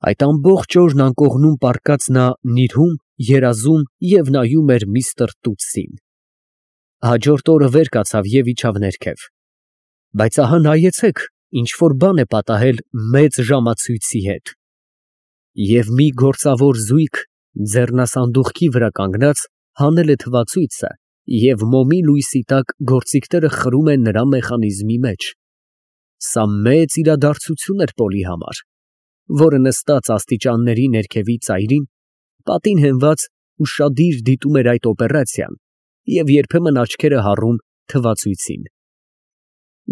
Այդ ամբողջ օրն անկողնում պառկած նա նիրհում, երազում և նայում էր միստր Տուտսին։ Հաջորդ օրը վեր կացավ և իջավ ներքև։ Բայց ահա նայեցեք, ինչ որ բան է պատահել մեծ ժամացույցի հետ։ Եվ մի գործավոր զույգ ձեռնասանդուղքի վրա կանգնած հանել է թվացույցը և մոմի լույսի տակ գործիքները խրում են նրա մեխանիզմի մեջ։ Սա մեծ իրադարձություն էր Պոլի համար, որը նստած աստիճանների ներքևի ծայրին, պատին հենված, ուշադիր դիտում էր այդ օպերացիան և երբեմն աչքերը հառում թվացույցին։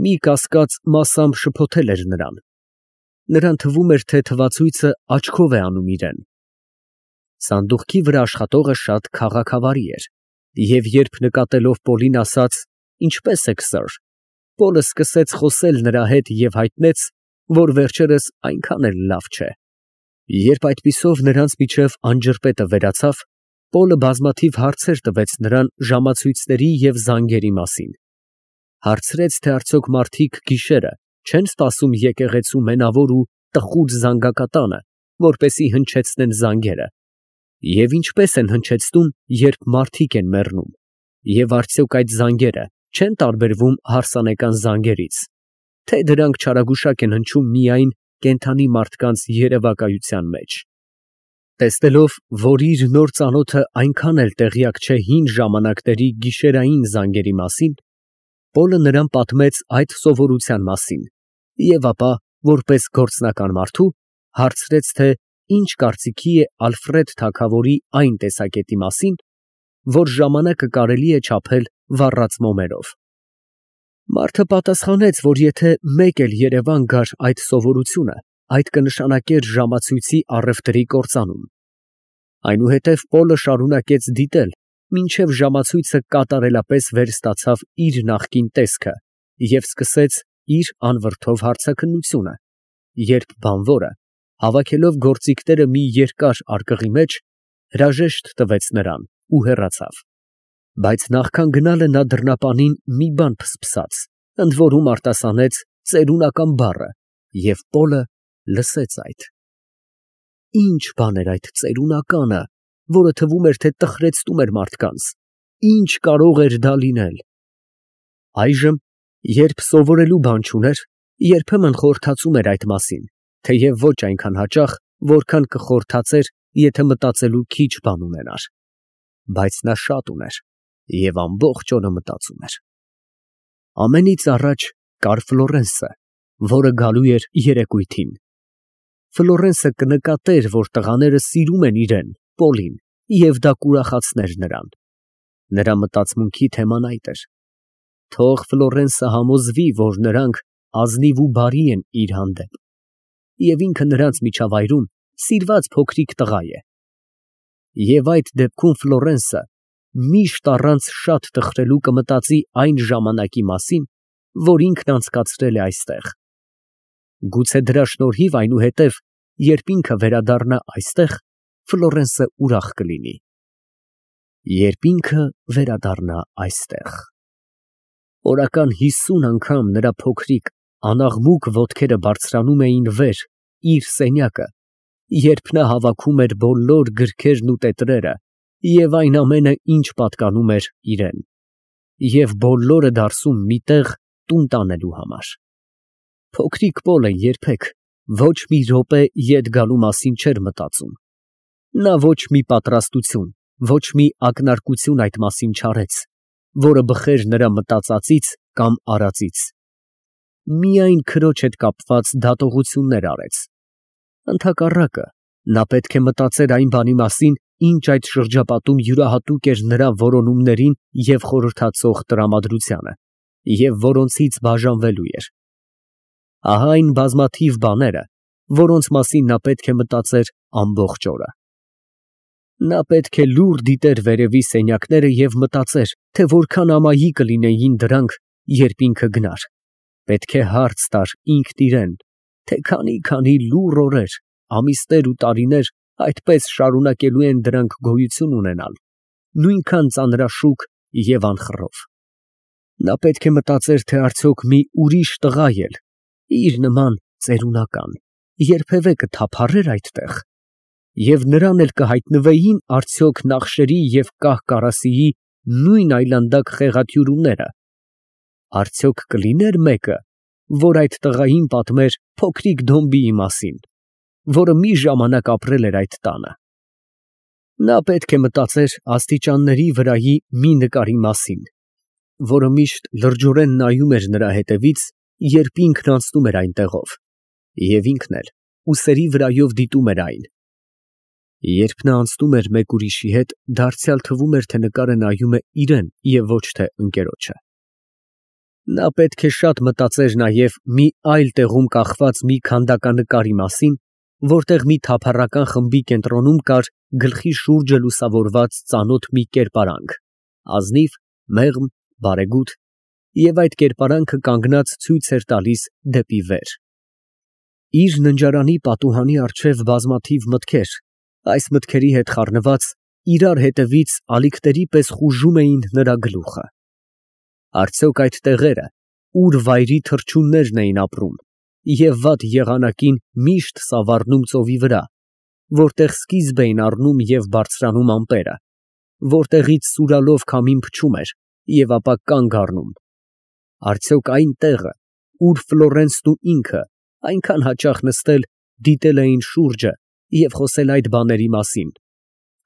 Մի կասկած մասամբ շփոթել էր նրան։ Նրան թվում էր, թե թվացույցը աչքով է անում իրան։ Սանդուղքի վրա աշխատողը շատ քաղաքավարի էր, և երբ նկատելով Պոլին ասաց. «Ինչպե՞ս եք, սըր», Պոլը սկսեց խոսել նրա հետ և հայտնեց, որ վերջերս այնքան էլ լավ չէ։ Երբ այդպիսով նրանց միջև անջրպետը վերացավ, Պոլը բազմաթիվ հարցեր տվեց նրան ժամացույցների և զանգերի մասին։ Հարցրեց, թե արդյոք մարդիկ գիշերը չեն սպասում եկեղեցու մենավոր ու տխուր զանգակատանը, որպեսզի հնչեցնեն զանգերը, և ինչպես են հնչեցնում, երբ մարդիկ են մեռնում, և արդյոք այդ զանգերը չեն տարբերվում հարսանեկան զանգերից, թե դրանք չարագուշակ են հնչում միայն կենդանի մարդկանց երևակայության մեջ։ Տեսնելով, որ իր նոր ծանոթը այնքան էլ տեղյակ չէ հին ժամանակների գիշերային զանգերի մասին, Պոլը նրան պատմեց այդ սովորության մասին և ապա, որպես գործնական մարդու, հարցրեց, թե ինչ կարծիքի է Ալֆրեդ թագավորի այն տեսակետի մասին, որ ժամանակը կարելի է չափել վառած մոմերով։ Մարդը պատասխանեց, որ եթե մեկ էլ Երևան գար այդ սովորությունը, այդ կնշանակեր ժամացույցի առևտրի կործանում։ Այնուհետև Պոլը շարունակեց դիտել, մինչև ժամացույցը կատարելապես վերստացավ իր նախկին տեսքը և սկսեց իր անվրդով հարցաքննությունը, երբ բանվորը, հավաքելով գործիքները մի երկար արկղի մեջ, հրաժեշտ տվեց նրան ու հեռացավ։ Բայց նախքան գնալը նա դռնապանին մի բան փսփսաց, ընդ որում արտասանեց ծերունական բառը, և Պոլը լսեց այդ։ Ի՞նչ բան էր այդ ծերունականը, որը թվում էր, թե տխրեցնում էր մարդկանց, ի՞նչ կարող էր դա լինել։ Այժմ, երբ սովորելու բան չուներ, երբեմն խորհրդածում էր այդ մասին, թեև ոչ այնքան հաճախ, որքան կխորհրդածեր, եթե մտածելու քիչ բան ունենար։ Բայց նա շատ ուներ և ամբողջ օրը մտածում էր։ Ամենից առաջ կար Ֆլորենսը, որը գալու էր երեկույթին։ Ֆլորենսը կնկատեր, որ տղաները սիրում են իրան, Պոլին, և դա կուրախացներ նրան։ Նրա մտածմունքի թեման այդ էր։ Թող Ֆլորենսը համոզվի, որ նրանք ազնիվ ու բարի են իր հանդեպ, և ինքը նրանց միջավայրում սիրված փոքրիկ տղա է։ Եվ այդ դեպքում Ֆլորենսը միշտ առանց շատ տխրելու կմտածի այն ժամանակի մասին, որ ինքն անցկացրել է այստեղ։ Գուցե դրա շնորհիվ այնուհետև, երբ ինքը վերադառնա այստեղ, Ֆլորենսը ուրախ կլինի։ Երբ ինքը վերադառնա այստեղ։ Օրական 50 անգամ նրա փոքրիկ, անաղմուկ ոտքերը բարձրանում էին վեր իր սենյակը, երբ նա հավաքում էր բոլոր գրքերն ու տետրերը և այն ամենը, ինչ պատկանում էր իրան, և բոլորը դարսում մի տեղ տուն տանելու համար։ Փոքրիկ Պոլը երբեք ոչ մի րոպե ետ գալու մասին չէր մտածում։ Նա ոչ մի պատրաստություն, ոչ մի ակնարկություն այդ մասին չարեց, որը բխեր նրա մտածածից կամ արածից։ Միայն քրոջ հետ կապված դատողություններ արեց։ Ընդհակառակը, նա պետք է մտածեր այն բանի մասին, ինչ այդ շրջապատում յուրահատուկ էր նրա որոնումներին և խորհրդածող տրամադրությանը, և որոնցից բաժանվելու էր։ Ահա այն բազմաթիվ բաները, որոնց մասին նա պետք է մտածեր ամբողջ օրը։ Նա պետք է լուռ դիտեր վերևի սենյակները և մտածեր, թե որքան ամայի կլինեին դրանք, երբ ինքը գնար։ Պետք է հարց տար ինքն իրան, թե քանի լուռ օրեր, ամիսներ ու տարիներ այդպես շարունակելու են դրանք գոյություն ունենալ, նույնքան ծանրաշուկ և անխռով։ Նա պետք է մտածեր, թե արդյոք մի ուրիշ տղա էլ իր նման ծերունական երբևէ կթափառեր այդտեղ, և նրան էլ կհայտնվեին արդյոք Նախշերի և Կահ֊Կարասիի նույն այլանդակ խեղաթյուրուները, արդյոք կլիներ մեկը, որ այդ տղային պատմեր փոքրիկ Դոմբիի մասին, որը մի ժամանակ ապրել էր այդ տանը։ Նա պետք է մտածեր աստիճանների վրայի մի նկարի մասին, որը միշտ լրջորեն նայում էր նրա հետևից, երբ ինքն անցնում էր այնտեղով, և ինքն էլ ուսերի վրայով դիտում էր այն։ Երբ նա անցնում էր մեկ ուրիշի հետ, դարձյալ թվում էր, թե նկարը նայում է իրան և ոչ թե ընկերոջը։ Նա պետք է շատ մտածեր նաև մի այլ տեղում կախված մի քանդականկարի մասին, որտեղ մի թափառական խմբի կենտրոնում կար գլխի շուրջը լուսավորված ծանոթ մի կերպարանք, ազնիվ, մեղմ, բարեգութ, և այդ կերպարանքը կանգնած ցույց էր տալիս դեպի վեր։ Իր ննջարանի պատուհանի առջև բազմաթիվ մտքեր, այս մտքերի հետ խառնված, իրար հետևից ալիքների պես խուժում էին նրա գլուխը։ Արդյոք այդ տեղերը, ուր վայրի թռչուններն էին ապրում և վատ եղանակին միշտ սավառնում ծովի վրա, որտեղ սկիզբ էին առնում և բարձրանում ամպերը, որտեղից սուրալով քամին փչում էր և ապա կանգ առնում, արդյոք այն տեղը, ուր Ֆլորենսն ու ինքը այնքան հաճախ նստել, դիտել էին շուրջը և խոսել այդ բաների մասին,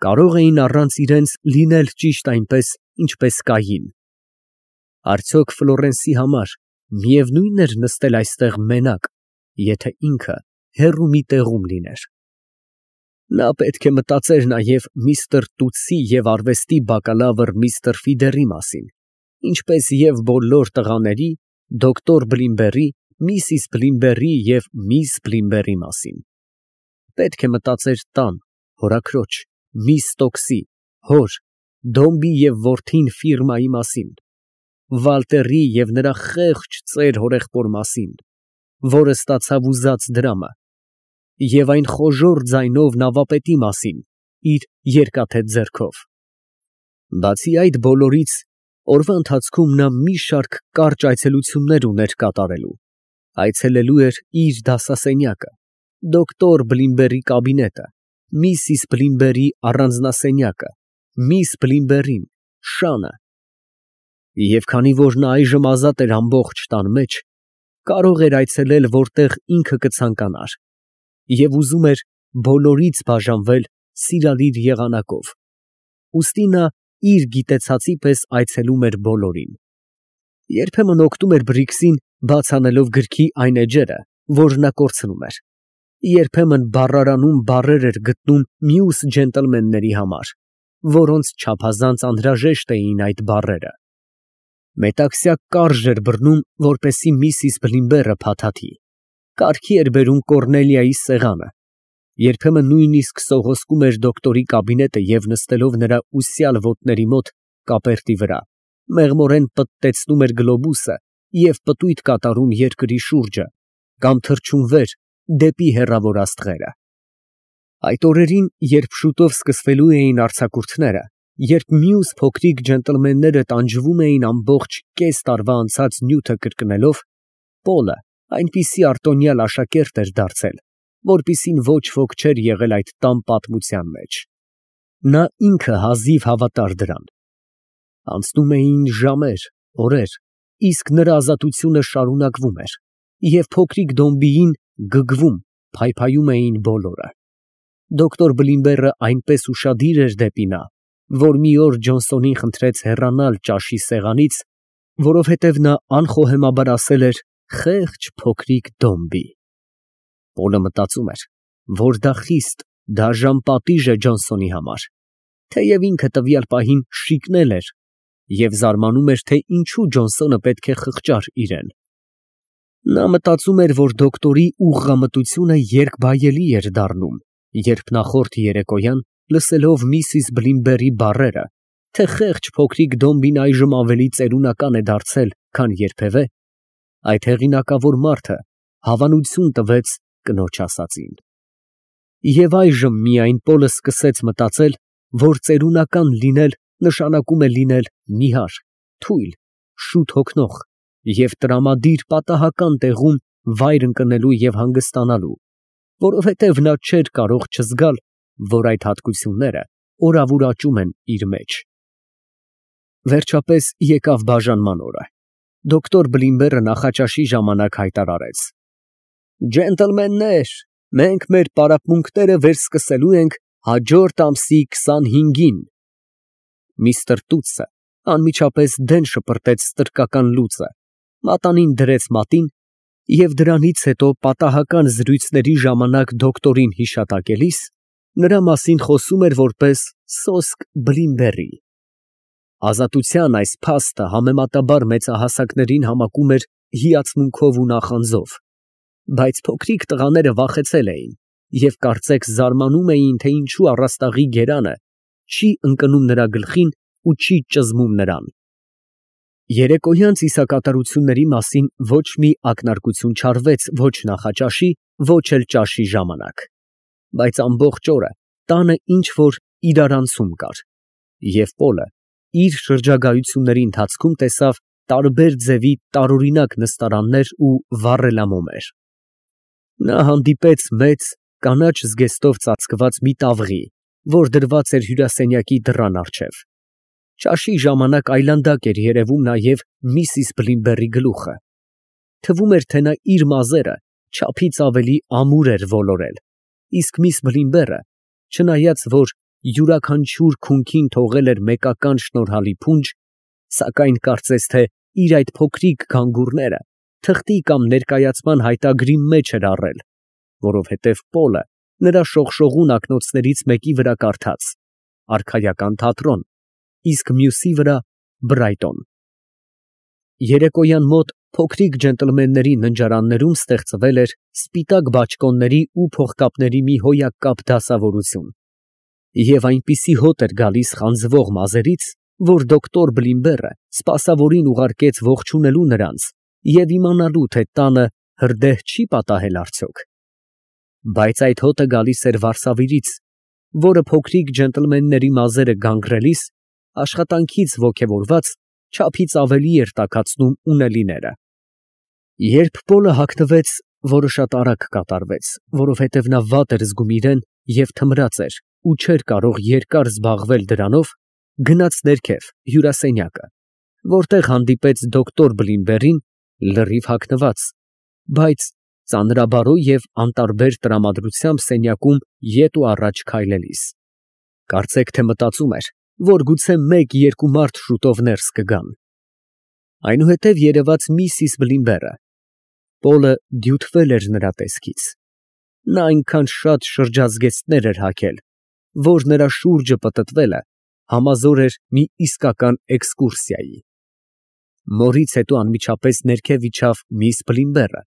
կարող էին առանց իրենց լինել ճիշտ այնպես, ինչպես կային։ Արդյոք Ֆլորենսի համար միևնույն էր նստել այստեղ մենակ, եթե ինքը հեռու մի տեղում լիներ։ Նա պետք է մտածեր նաև միստր Տուտսի և արվեստի բակալավր միստր Ֆիդերի մասին, ինչպես և բոլոր տղաների, դոկտոր Բլիմբերի, միսիս Բլիմբերի և միս Բլիմբերի մասին։ Պետք է մտածեր տան, հորաքրոջ, միս Ստոքսի, հոր, Դոմբի և որդին Ֆիրմայի մասին, Վալտերի և նրա խեղճ ծեր հորեղբոր մասին, որը ստացավ ուզած դրամը, և այն խոժոռ ձայնով նավապետի մասին, իր երկաթե ձեռքով։ Բացի այդ բոլորից, օրվա ընթացքում նա մի շարք կարճ այցելություններ ուներ կատարելու, այցելելու էր իր դասասենյակը, դոկտոր Բլիմբերի կաբինետը, միսիս Բլիմբերի առանձնասենյակը, միս Բլիմբերին, շանը։ Եվ քանի որ նա այժմ ազատ էր ամբողջ տան մեջ, կարող էր այցելել որտեղ ինքը կցանկանար, և ուզում էր բոլորից բաժանվել սիրալիր եղանակով, ուստի նա իր գիտեցածի պես այցելում էր բոլորին։ Երբեմն օգնում էր Բրիքսին, բաց անելով գրքի այն էջերը, որ նա կորցնում էր, երբեմն բառարանում բառեր էր գտնում մյուս ջենտլմենների համար, որոնց չափազանց անհրաժեշտ էին այդ բառերը։ Մետաքսյա կարժ էր բռնում, որպեսզի միսիս Բլիմբերը փաթաթի, կարգի էր բերում Կոռնելիայի սեղանը, երբեմն նույնիսկ սողոսկում էր դոկտորի կաբինետը և նստելով նրա ուսյալ ոտների մոտ կապերտի վրա, մեղմորեն պտտեցնում էր գլոբուսը և պտույտ կատարում երկրի շուրջը, կամ թռչում վեր դեպի հեռավոր աստղերը։ Այդ օրերին, երբ շուտով սկսվելու էին արձակուրդները, երբ մյուս փոքրիկ ջենտլմենները տանջվում էին ամբողջ կես տարվա անցած նյութը կրկնելով, Պոլը այնպիսի արտոնյալ աշակերտ էր դարձել, որպիսին ոչ ոք չէր եղել այդ տան պատմության մեջ։ Նա ինքը հազիվ հավատար դրան։ Անցնում էին ժամեր, օրեր, իսկ նրա ազատությունը շարունակվում էր, և փոքրիկ Դոմբիին գգվում, փայփայում էին բոլորը։ Դոկտոր Բլիմբերը այնպես ուշադիր էր դեպի նա, որ մի օր Ջոնսոնին խնդրեց հեռանալ ճաշի սեղանից, որովհետև նա անխոհեմաբար ասել էր «խեղճ փոքրիկ Դոմբի»։ Պոլը մտածում էր, որ դա խիստ դաժան պատիժ է Ջոնսոնի համար, թեև ինքը տվյալ պահին շիկնել էր և զարմանում էր, թե ինչու Ջոնսոնը պետք է խղճար իրեն։ Նա մտածում էր, որ դոկտորի ուղղամտությունը երկբայելի էր դառնում, երբ նախորդ երեկոյան, լսելով միսիս Բլիմբերի բառերը, թե խեղճ փոքրիկ Դոմբին այժմ ավելի ծերունական է դարձել, քան երբևէ, այդ հեղինակավոր մարդը հավանություն տվեց կնոջ ասածին։ Եվ այժմ միայն Պոլը սկսեց մտածել, որ ծերունական լինել նշանակում է լինել նիհար, թույլ, շուտ հոգնող և տրամադիր պատահական տեղում վայր ընկնելու և հանգստանալու, որովհետև նա չէր կարող չզգալ, որ այդ հատկությունները օրավուրաճում են իր մեջ։ Վերջապես եկավ բաժանման օրը։ Դոկտոր Բլիմբերը նախաճաշի ժամանակ հայտարարեց. Ջենտլմեններ, մենք մեր պարապմունքները վերսկսելու ենք հաջորդ ամսի 25-ին։ Միստր Տուտսը անմիջապես դեն շպրտեց ստրկական լուծը, մատանին դրեց մատին և դրանից հետո պատահական զրույցների ժամանակ դոկտորին հիշատակելիս նրա մասին խոսում էր որպես սոսկ Բլիմբերի։ Ազատության այս փաստը համեմատաբար մեծահասակներին համակում էր հիացմունքով ու նախանձով, բայց փոքրիկ տղաները վախեցել էին և կարծեք զարմանում էին, թե ինչու առաստաղի գերանը չի ընկնում նրա գլխին ու չի ճզմում նրան։ Երեկոյան ծիսակատարությունների մասին ոչ մի ակնարկություն չարվեց ոչ նախաճաշի, ոչ էլ ճաշի ժամանակ, բայց ամբողջ օրը տանը ինչ-որ իրարանցում կար, և Պոլը իր շրջագայությունների ընթացքում տեսավ տարբեր ձևի տարօրինակ նստարաններ ու վառելամոմեր։ Նա հանդիպեց մեծ, կանաչ զգեստով ծածկված մի տավղի, որ դրված էր հյուրասենյակի դռան առջև։ Ճաշի ժամանակ այլանդակ էր երևում նաև միսիս Բլիմբերի գլուխը։ Թվում էր, թե նա իր մազերը չափից ավելի ամուր էր ոլորել, իսկ միս Բլիմբերը, չնայած որ յուրաքանչյուր քունքին թողել էր մեկական շնորհալի փունջ, սակայն կարծես թե իր այդ փոքրիկ գանգուրները թղթի կամ ներկայացման հայտագրի մեջ էր առել, որովհետև Պոլը նրա շողշողուն ակնոցներից մեկի վրա կարդաց «Արքայական թատրոն», իսկ մյուսի վրա «Բրայտոն»։ Երեկոյան մոտ փոքրիկ ջենտլմենների ննջարաններում ստեղծվել էր սպիտակ բաճկոնների ու փողկապների մի հոյակապ դասավորություն, և այնպիսի հոտ էր գալիս խանձվող մազերից, որ դոկտոր Բլիմբերը սպասավորին ուղարկեց ողջունելու նրանց և իմանալու, թե տանը հրդեհ չի պատահել արդյոք։ Բայց այդ հոտը գալիս էր վարսավիրից, որը փոքրիկ ջենտլմենների մազերը գանգրելիս աշխատանքից ոգևորված չափից ավելի էր տաքացնում ունելիները։ Երբ Պոլը հագնվեց, որը շատ արագ կատարվեց, որովհետև նա վատ էր զգում իրեն և թմրած էր ու չէր կարող երկար զբաղվել դրանով, գնաց ներքև հյուրասենյակը, որտեղ հանդիպեց դոկտոր Բլիմբերին լրիվ հագնված, բայց ծանրաբարո և անտարբեր տրամադրությամբ սենյակում ետ ու առաջ քայլելիս։ Կարծեք թե մտածում էր, որ գուցե մեկ-երկու մարդ շուտով ներս կգան։ Այնուհետև երևաց միսիս Բլիմբերը։ Պոլը դյութվել էր նրա տեսքից։ Նա այնքան շատ շրջազգեստներ էր հագել, որ նրա շուրջը պտտվելը համազոր էր մի իսկական էքսկուրսիայի։ Մորից հետո անմիջապես ներքև իջավ միս Բլիմբերը,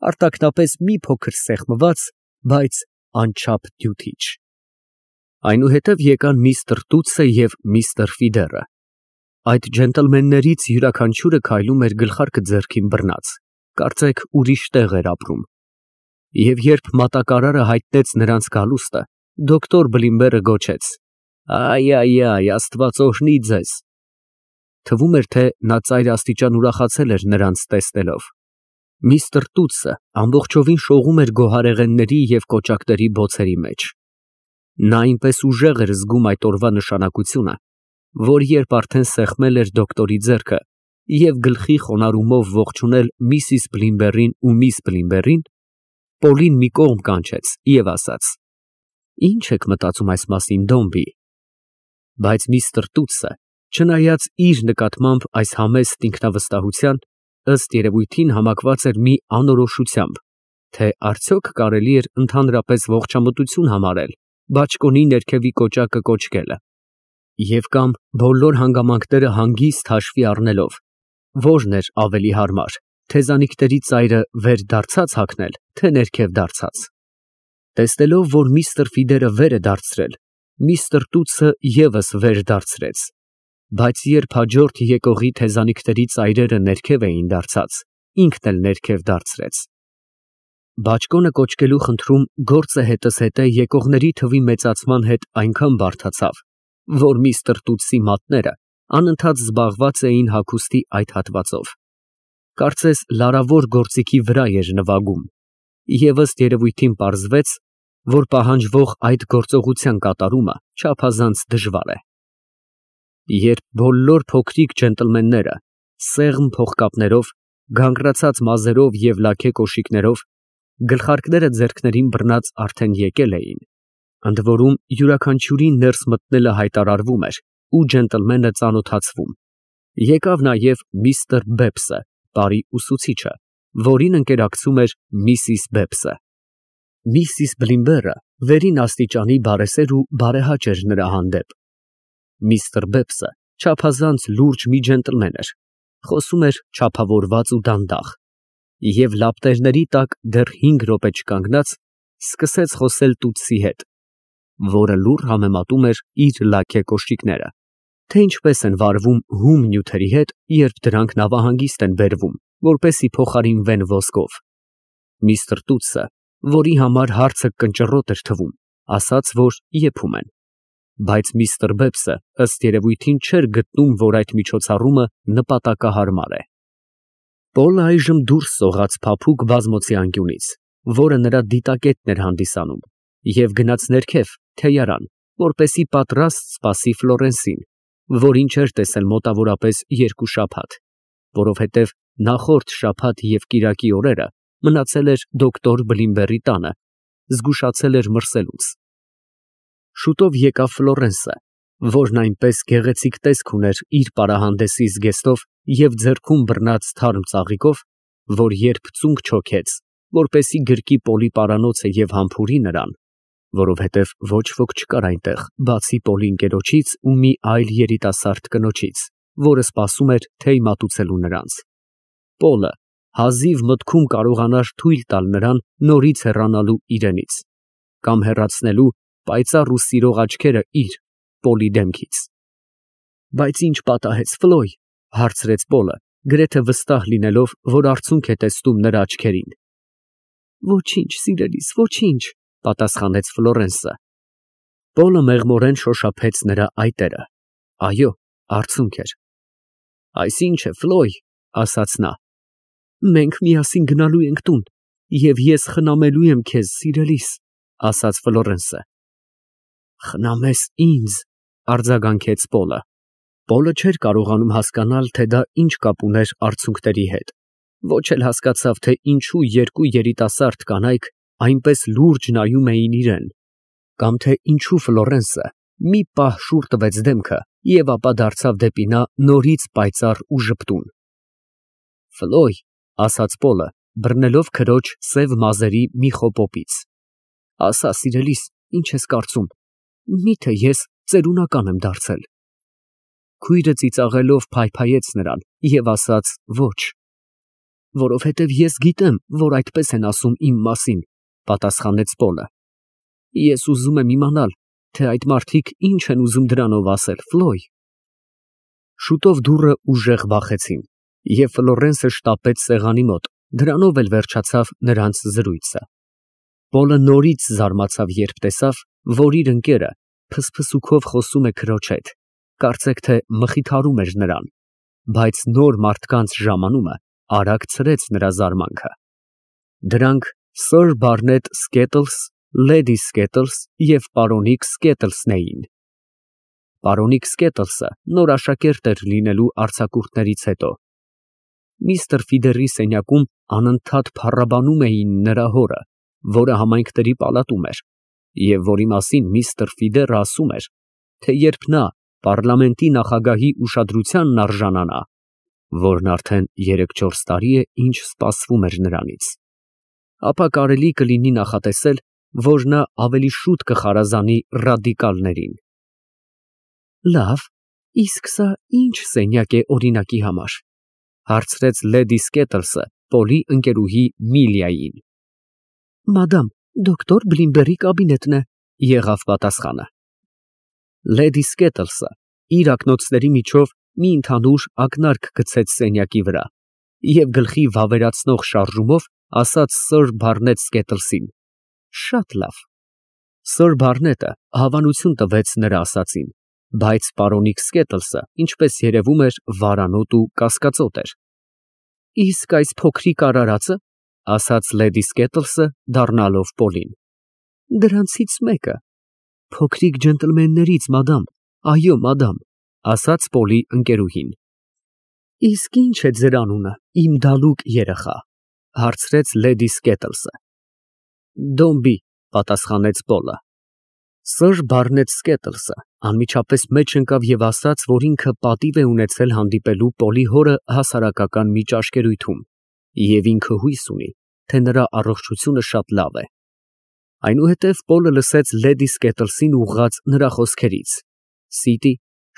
արտաքնապես մի փոքր սեղմված, բայց անչափ դյութիչ։ Այնուհետև եկան միստր Տուտսը և միստր Ֆիդերը։ Այդ ջենտլմեններից յուրաքանչյուրը քայլում էր գլխարկը ձեռքին բռնած, կարծեք ուրիշ տեղ էր ապրում։ Եվ երբ մատակարարը հայտնեց նրանց գալուստը, դոկտոր Բլիմբերը գոչեց. «Այ, Աստված օրհնի ձեզ»։ Թվում էր, թե նա ծայրաստիճան ուրախացել էր նրանց տեսնելով։ Միստր Տուտսը ամբողջովին շողում էր գոհարեղենների և կոճակների բոցերի մեջ։ Նա այնպես ուժեղ էր զգում այդ օրվա նշանակությունը, որ երբ արդեն սեղմել էր դոկտորի ձեռքը և գլխի խոնարհումով ողջունել միսիս Բլիմբերին ու միս Բլիմբերին, Պոլին մի կողմ կանչեց և ասաց. «Ի՞նչ եք մտածում այս մասին, Դոմբի»։ Բայց միստր Տուտսը, չնայած իր նկատմամբ այս համեստ ինքնավստահության, ըստ երևույթին համակված էր մի անորոշությամբ, թե արդյոք կարելի էր ընդհանրապես ողջամտություն համարել բաճկոնի ներքևի կոճակը կոճկելը, և կամ բոլոր հանգամանքները հանգիստ հաշվի առնելով, որն էր ավելի հարմար, թեզանիքների ծայրը վեր դարձած հագնել, թե ներքև դարձած։ Տեսնելով, որ միստր Ֆիդերը վեր է դարձրել, միստր Տուտսը ևս վեր դարձրեց, բայց երբ հաջորդ եկողի թեզանիքների ծայրերը ներքև էին դարձած, ինքն էլ ներքև դարձրեց։ Բաճկոնը կոճկելու խնդրում գործը հետզհետե եկողների թվի մեծացման հետ այնքան բարդացավ, որ միստր Տուտսի մատները անընդհատ զբաղված էին հագուստի այդ հատվածով։ Կարծես լարավոր գործիքի վրա էր նվագում։ Եվ ըստ երևույթին պարզվեց, որ պահանջվող այդ գործողության կատարումը չափազանց դժվար է։ Երբ բոլոր փոքրիկ ջենտլմենները սեղմ փողկապներով, գանգրացած մազերով և լաքե կոշիկներով, գլխարկները ձեռքներին բռնած արդեն եկել էին, ընդ որում յուրաքանչյուրին ներս մտնելը հայտարարվում էր ու ջենտլմենը ծանոթացվում, եկավ նաև միստր Բեբսը, բարի ուսուցիչը, որին ընկերակցում էր Միսիս Բեբսը։ Միսիս Բլիմբերը վերին աստիճանի բարեսեր ու բարեհաճ էր նրա հանդեպ։ Միստր Բեբսը չափազանց լուրջ մի ջենտլմեն էր, խոսում էր չափավորված ու դանդաղ, և լապտերների տակ դեռ 5 րոպե չկանգնած սկսեց խոսել տուտսի հետ, որը լուռ համեմատում էր իր լաքե կոշիկները, թե ինչպես են վարվում հում նյութերի հետ, երբ դրանք նավահանգիստ են բերվում, որպեսզի փոխարինվեն ոսկով։ Միստր Տուտսը, որի համար հարցը կնճռոտ էր թվում, ասաց, որ եփում են, բայց միստր Բեբսը ըստ երևույթին չէր գտնում, որ այդ միջոցառումը նպատակահարմար է։ Պոլը այժմ դուրս սողաց փափուկ բազմոցի անկյունից, որը նրա դիտակետն էր հանդիսանում, և գնաց ներքև, թեյարան, որպեսզի պատրաստ սպասի Ֆլորենսին, որին չէր տեսել մոտավորապես 2 շաբաթ, որովհետև նախորդ շաբաթ և կիրակի օրերը մնացել էր դոկտոր Բլիմբերի տանը, զգուշացել էր մրսելուց։ Շուտով եկավ Ֆլորենսը, որն այնպես գեղեցիկ տեսք ուներ իր պարահանդեսի զգեստով և ձեռքում բռնած թարմ ծաղիկով, որ երբ ծունկ չոքեց, որպեսզի գրկի Պոլի պարանոցը և համբուրի նրան, որովհետև ոչ ոք չկար այնտեղ, բացի Պոլի ընկերոջից ու մի այլ երիտասարդ կնոջից, որը սպասում էր թեյ մատուցելու նրանց։ Պոլը հազիվ մտքում կարողանար թույլ տալ նրան նորից հեռանալու իրենից, կամ հեռացնելու պայծառ ու սիրող աչքերը իր Պոլի դեմքից։ Բայց ի՞նչ պատահեց, Ֆլոյ, հարցրեց Պոլը, գրեթե վստահ լինելով, որ արցունք է տեսնում նրա աչքերին։ Ոչինչ, սիրելիս, ոչինչ, պատասխանեց Ֆլորենսը։ Պոլը մեղմորեն շոշափեց նրա այտերը։ Այո, արցունք էր։ Այս ինչ է, Ֆլոյ, ասաց նա։ Մենք միասին գնալու ենք տուն, և ես խնամելու եմ քեզ, սիրելիս, ասաց Ֆլորենսը։ Խնամես ինձ, արձագանքեց Պոլը։ Պոլը չէր կարողանում հասկանալ, թե դա ինչ կապ ուներ արցունքների հետ, ոչ էլ հասկացավ, թե ինչու երկու երիտասարդ կանայք այնպես լուրջ նայում էին իրեն, կամ թե ինչու Ֆլորենսը մի պահ շուռ տվեց դեմքը և ապա դարձավ դեպի նա նորից պայծառ ու ժպտուն։ Ֆլոյ, ասաց Պոլը, բռնելով քրոջ սև մազերի մի խոպոպից, ասա, սիրելիս, ինչ ես կարծում, միթե ես ծերունական եմ դարձել։ Քույրը ծիծաղելով փայփայեց նրան և ասաց ոչ։ Որովհետև ես գիտեմ, որ այդպես են ասում իմ մասին, պատասխանեց Պոլը։ Ես ուզում եմ իմանալ, թե այդ մարդիկ ինչ են ուզում դրանով ասել, Ֆլոյ։ Շուտով դուռը ուժեղ բախեցին, և Ֆլորենսը շտապեց սեղանի մոտ, դրանով էլ վերջացավ նրանց զրույցը։ Պոլը նորից զարմացավ, երբ տեսավ, որ իր ընկերը փսփսուքով խոսում է քրոջ հետ, կարծեք թե մխիթարում էր նրան, բայց նոր մարդկանց ժամանումը արագ ցրեց նրա զարմանքը։ Դրանք Սըր Բարնետ Սկետլս, Լեդի Սկետլս և պարոնիկ Սկետլսն էին։ Պարոնիկ Սկետլսը նոր աշակերտ էր լինելու արձակուրդներից հետո։ Միստր Ֆիդերի սենյակում անընդհատ փառաբանում էին նրա հորը, որը համայնքների պալատում էր, և որի մասին միստր Ֆիդերը ասում էր, թե երբ նա պարլամենտի նախագահի ուշադրությանն արժանանա, որն արդեն 3-4 տարի է, ինչ սպասվում էր նրանից, ապա կարելի կլինի նախատեսել, որ նա ավելի շուտ կխարազանի ռադիկալներին։ Լավ, իսկ սա ի՞նչ սենյակ է օրինակի համար, հարցրեց Լեդի Սկետլսը Պոլի ընկերուհի Միլիային։ Մադամ, դոկտոր Բլիմբերի կաբինետն է, եղավ պատասխանը։ Լեդի Սկետլսը իր ակնոցների միջով մի ընդհանուր ակնարկ գցեց սենյակի վրա և գլխի վավերացնող շարժումով ասաց Սըր Բարնետ Սկետլսին. Շատ լավ։ Սըր Բարնետը հավանություն տվեց նրա ասածին, բայց պարոնիկ Սկետլսը, ինչպես երևում էր, վարանոտ ու կասկածոտ էր։ Իսկ այս փոքրիկ արարածը, ասաց լեդի Սկետլսը, դառնալով Պոլին։ Դրանցից մեկը։ Փոքրիկ ջենտլմեններից, մադամ, այո, մադամ, ասաց Պոլի ընկերուհին։ Իսկ ի՞նչ է ձեր անունը, իմ դալուկ երեխա, հարցրեց լեդի Սկետլսը։ Դոմբի, պատասխանեց Պոլը։ Սըր Բարնետ Սկետլսը անմիջապես մեջ ընկավ և ասաց, որ ինքը պատիվ է ունեցել հանդիպելու Պոլի հորը հասարակական մի ճաշկերույթում, և ինքը հույս ունի, թե նրա առողջությունը շատ լավ է։ Այնուհետև Պոլը լսեց լեդի Սկետլսին ուղղած նրա խոսքերից. Սիտի,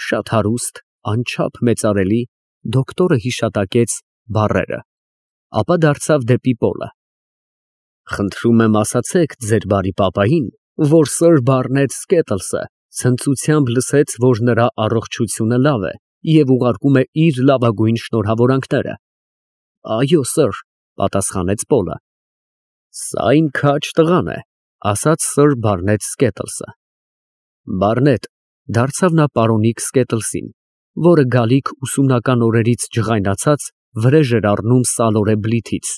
շատ հարուստ, անչափ մեծարելի, դոկտորը հիշատակեց բառերը, ապա դարձավ դեպի Պոլը. Խնդրում եմ ասացեք ձեր բարի պապային, որ սըր Բարնետ Սկետլսը ցնծությամբ լսեց, որ նրա առողջությունը լավ է և ուղարկում է իր լավագույն շնորհավորանքները։ Այո, սըր, պատասխանեց Պոլը։ Սա իմ քաջ տղան է, ասաց սըր Բարնետ Սկետլսը։ Բարնետ, դարձավ նա պարոնիկ Սկետլսին, որը գալիք ուսումնական օրերից ջղայնացած վրեժ էր առնում սալորե բլիթից։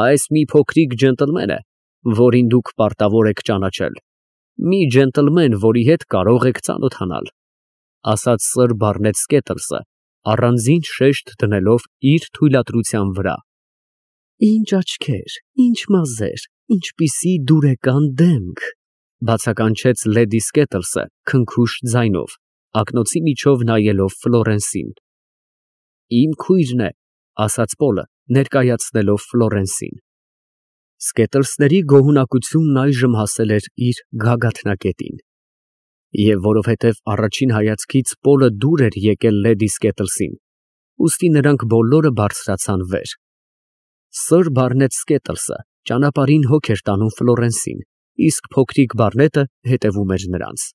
Այս մի փոքրիկ ջենտլմեն է, որին դուք պարտավոր եք ճանաչել, մի ջենտլմեն, որի հետ կարող եք ծանոթանալ, ասաց սըր Բարնետ Սկետլսը, առանձին շեշտ դնելով իր թույլատրության վրա։ Ինչ աչքեր, ինչ մազեր, ինչպիսի դուրեկան դեմք, բացականչեց լեդի Սկետլսը քնքուշ ձայնով, ակնոցի միջով նայելով Ֆլորենսին։ Իմ քույրն է, ասաց Պոլը, ներկայացնելով Ֆլորենսին։ Սկետլսների գոհունակությունն այժմ հասել էր իր գագաթնակետին։ Եվ որովհետև առաջին հայացքից Պոլը դուր էր եկել լեդի Սկետլսին, ուստի նրանք բոլորը բարձրացան վեր։ Սըր Բարնետ Սկետլսը ճանապարհին հոգ էր տանում Ֆլորենսին, իսկ փոքրիկ Բարնետը հետևում էր նրանց։